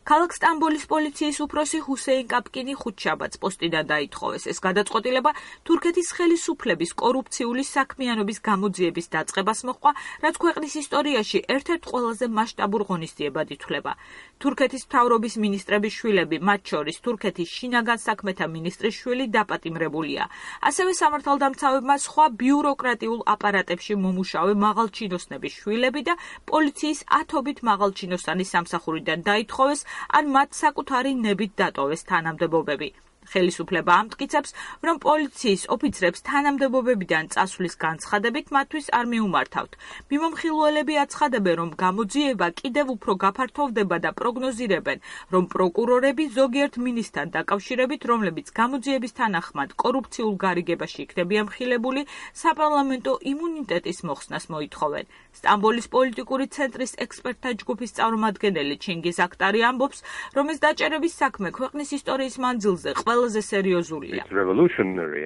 ქალაქ სტამბოლის პოლიციის უფროსი ჰუსეინ კაპკინი ხუთშაბათს პოსტიდან დაითხოვეს. ეს გადაწყვეტილება თურქეთის ხელისუფლების კორუფციული საქმიანობის გამოძიების დაწყებას მოჰყვა, რაც ქვეყნის ისტორიაში ერთ-ერთ ყველაზე მასშტაბურ ღონისძიებად ითვლება. თურქეთის მთავრობის მინისტრების შვილები, მათ შორის თურქეთის შინაგან საქმეთა მინისტრის შვილი დაპატიმრებულია. ასევე სამართალდამცავებმა სხვა ბიუროკრატიულ აპარატებში მომუშავე მაღალჩინოსნების შვილები და პოლიციის ათობით მაღალჩინოსანი სამსახურიდან დაითხოვეს, ან მათ საკუთარი ნებით დატოვეს თანამდებობები. ხელისუფლება ამტკიცებს, რომ პოლიციის ოფიცრებს თანამდებობებიდან წასვლის განცხადებით მათთვის არ მიუმართავთ. მიმომხილველები აცხადებენ, რომ გამოძიება კიდევ უფრო გაფართოვდება და პროგნოზირებენ, რომ პროკურორები ზოგიერთ მინისტრთან დაკავშირებით, რომლებიც გამოძიების თანახმად კორუფციულ გარიგებაში იქნებიან მხილებული, საპარლამენტო იმუნიტეტის მოხსნას მოითხოვენ. სტამბოლის პოლიტიკური ცენტრის ექსპერტთა ჯგუფის წარმომადგენელი ჩინგიზ აქტარი ამბობს, რომ ეს დაჭერების საქმე ქვეყნის ისტორიის მანძილზე ყველაზე სერიოზულია. It's revolutionary.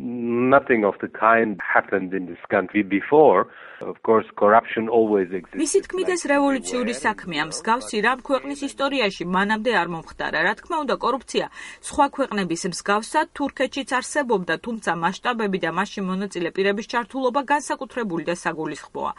Nothing of the kind happened in this country before. Of course, corruption always exists. მისი თქმით, ეს რევოლუციური საქმეა, მსგავსი რამ ქვეყნის ისტორიაში მანამდე არ მომხდარა. რა თქმა უნდა, კორუფცია სხვა ქვეყნების მსგავსად თურქეთშიც არსებობდა, თუმცა მასშტაბები და მასში მონაწილე პირების ჩართულობა განსაკუთრებული და საგულისხმოა.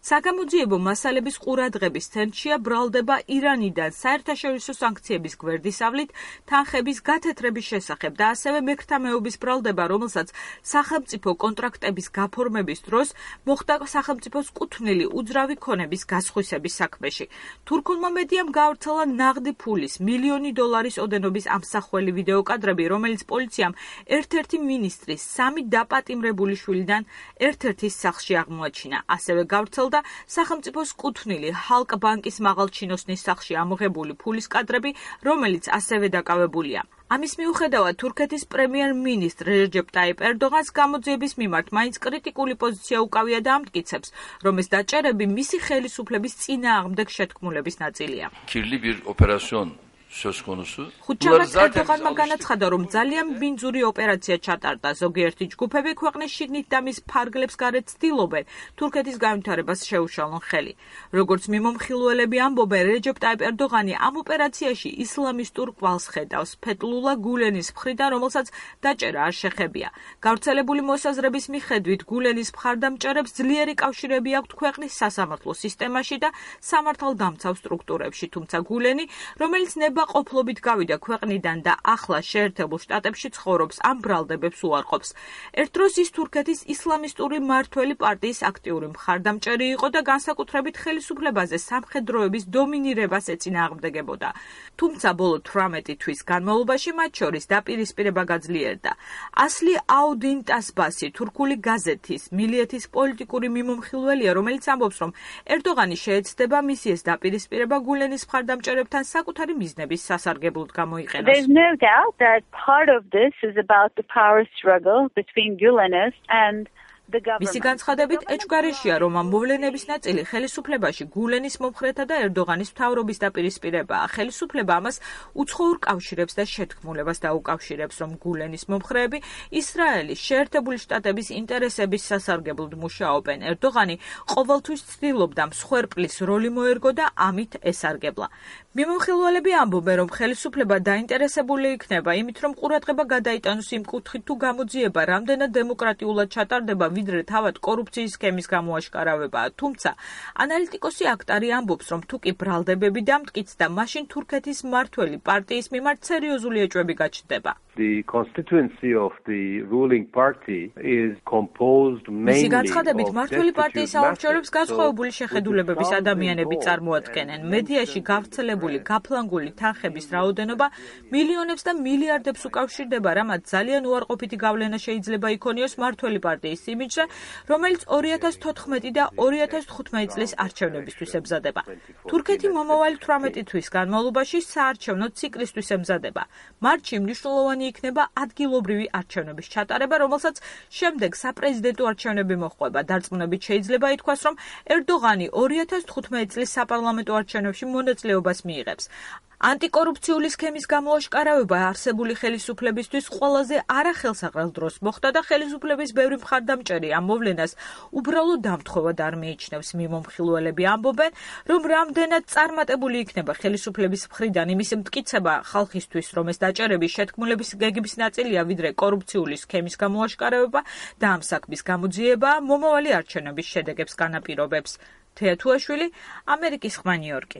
საგამოძიებო მასალების ყურადღების ცენტრშია ბრალდება ირანიდან საერთაშორისო სანქციების გვერდისავლით თანხების გათეთრების შესახებ და ასევე მექრთამეობის ბრალდება, რომელსაც სახელმწიფო კონტრაქტების გაფორმების დროს მოხდა სახელმწიფოს კუთვნილი უძრავი ქონების გასხვისების საქმეში. თურქულმა მედიამ გაავრცელა ნაღდი ფულის $1,000,000 ოდენობის ამსახველი ვიდეოკადრები, რომელიც პოლიციამ ერთ-ერთი მინისტრის 3 დაპატიმრებული შვილიდან ერთ-ერთის სახლში აღმოაჩინა. ასევე გავრცელდა სახელმწიფოს კუთვნილი ჰალკ ბანკის მაღალჩინოსნის სახლში ამოღებული ფულის კადრები, რომელიც ასევე დაკავებულია. ამის მიუხედავად, თურქეთის პრემიერ-მინისტრ რეჯეპ ტაიპ ერდოღანს გამოძიების მიმართ მაინც კრიტიკული პოზიცია უკავია და ამტკიცებს, რომ ეს დაჭერები მისი ხელისუფლების წინააღმდეგ შეთქმულების ნაწილია. Kirli bir operasyon söz konusu. ხუთშაბათს ერდოღანმა განაცხადა, რომ ძალიან ბინძური ოპერაცია ჩატარდა. ზოგიერთი ჯგუფები ქვეყნის შიგნით და მის ფარგლებს გარეთ ცდილობენ თურქეთის განვითარებას შეუშალონ ხელი. როგორც მიმომხილველები ამბობენ, რეჯეპ ტაიპ ერდოღანი ამ ოპერაციაში ისლამისტურ კვალს ხედავს ფეთლულა გულენის მხრიდან, რომელსაც დაჭერა არ შეხებია. გავრცელებული მოსაზრების მიხედვით, გულენის მხარდამჭერებს ძლიერი კავშირები აქვთ ქვეყნის სასამართლო სისტემაში და სამართალდამცავ სტრუქტურებში, თუმცა გულენი, რომელიც ყოფლობით გავიდა ქვეყნიდან და ახლა შეერთებულ შტატებში ცხოვრობს, ამ ბრალდებებს უარყოფს. ერთ დროს ის თურქეთის ისლამისტური მმართველი პარტიის აქტიური მხარდამჭერი იყო და განსაკუთრებით ხელისუფლებაზე სამხედროების დომინირებას ეწინააღმდეგებოდა. თუმცა ბოლო 18 თვის განმავლობაში მათ შორის დაპირისპირება გაძლიერდა. ასლი აუდინ ტასბასი თურქული გაზეთის მილიეთის პოლიტიკური მიმომხილველია, რომელიც ამბობს, რომ ერდოღანი შეეცდება მისი ეს დაპირისპირება გულენის მხარდამჭერებთან საკუთარი მიზნების სასარგებლოდ გამოიყენოს. There's no doubt that part of this is about the power struggle between Gülenists and the government. მისი განცხადებით, ეჭვგარეშეა, რომ ამ მოვლენების ნაწილი ხელისუფლებაში გულენის მომხრეთა და ერდოღანის მთავრობის დაპირისპირებაა. ხელისუფლება ამას უცხოურ კავშირებს და შეთქმულებას დაუკავშირებს, რომ გულენის მომხრეები ისრაელის შეერთებული შტატების ინტერესების სასარგებლოდ მუშაობენ. ერდოღანი ყოველთვის ცდილობდა მსხვერპლის როლი მოერგო და ამით ესარგებლა. მიმომხილველები ამბობენ, რომ ხელისუფლება დაინტერესებული იქნება იმით, რომ ყურადღება გადაიტანოს იმ კუთხით, თუ გამოძიება რამდენად დემოკრატიულად ჩატარდება, ვიდრე თავად კორუფციის სქემის გამოაშკარავებაა. თუმცა, ანალიტიკოსი აქტარი ამბობს, რომ თუ კი ბრალდებები დამტკიცდა, მაშინ თურქეთის მმართველი პარტიის მიმართ სერიოზული ეჭვები გაჩნდება. The constituency of the ruling party is composed mainly მისი განცხადებით, მმართველი პარტიის საამორჩევლებს განსხვავებული შეხედულებების ადამიანები წარმოადგენენ. მედიაში გავრცელებული გაფლანგული თანხების რაოდენობა მილიონებს და მილიარდებს უკავშირდება, რამაც ძალიან უარყოფითი გავლენა შეიძლება იქონიოს მმართველი პარტიის იმიჯზე, რომელიც 2014 და 2015 წლის არჩევნებისთვის ემზადება. თურქეთი მომავალი 18 თვის განმავლობაში საარჩევნო ციკლისთვის ემზადება. მარტში მნიშვნელოვანი იქნება ადგილობრივი არჩევნების ჩატარება, რომელსაც შემდეგ საპრეზიდენტო არჩევნები მოჰყვება. დარწმუნებით შეიძლება ითქვას, რომ ერდოღანი 2015 წლის საპარლამენტო არჩევნებში მონაწილეობას მიიღებს. ანტიკორუფციული სქემის გამოაშკარავება არსებული ხელისუფლებისთვის ყველაზე არახელსაყრელ დროს მოხდა და ხელისუფლების ბევრი მხარდამჭერი ამ მოვლენას უბრალოდ დამთხოვად არ მიიჩნევს. მიმომხილველები ამბობენ, რომ რამდენად წარმატებული იქნება ხელისუფლების მხრიდან იმის მტკიცება ხალხისთვის, რომ ეს დაჭერები შეთქმულების გეგმის ნაწილია, ვიდრე კორუფციული სქემის გამოაშკარავება და ამ საქმის გამოძიება მომავალი არჩევნების შედეგებს განაპირობებს. თეა თუაშვილი, ამერიკის ხმა, ნიუ-იორკი.